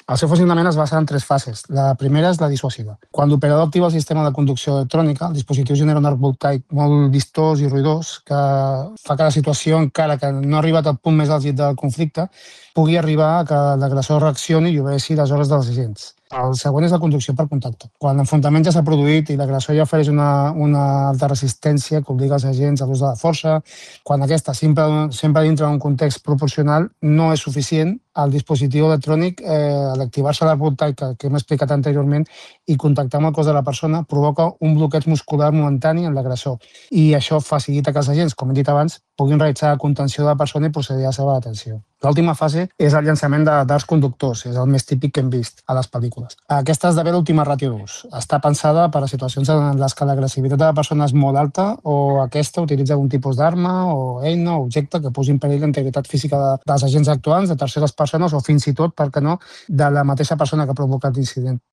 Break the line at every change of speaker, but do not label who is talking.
El seu funcionament es basa en 3 fases. La primera és la dissuasiva. Quan l'operador activa el sistema de conducció electrònica, el dispositiu genera un arc voltaic molt vistós i ruïdós que fa que la situació, encara que no ha arribat al punt més àlgid del conflicte, pugui arribar a que l'agressor reaccioni i obeeixi les ordres dels agents. El següent és la conducció per contacte. Quan l'enfrontament ja s'ha produït i l'agressor ja ofereix una alta resistència que obliga els agents a l'ús de la força, quan aquesta sempre dintre d'un context proporcional, no és suficient el dispositiu electrònic, a l'activar-se l'arc voltaic que hem explicat anteriorment i contactar amb el cos de la persona, provoca un bloqueig muscular momentani en l'agressor. I això facilita que els agents, com hem dit abans, puguin realitzar la contenció de la persona i procedir a la seva detenció. L'última fase és el llançament d'arcs conductors, és el més típic que hem vist a les pel·lícules. Aquesta esdevé l'última ràtio d'ús. Està pensada per a situacions en les que l'agressivitat de la persona és molt alta o aquesta utilitza algun tipus d'arma o eina o objecte que posi en perill la integritat física dels agents actuants, de terceres persones o fins i tot, per què no, de la mateixa persona que ha provocat l'incident.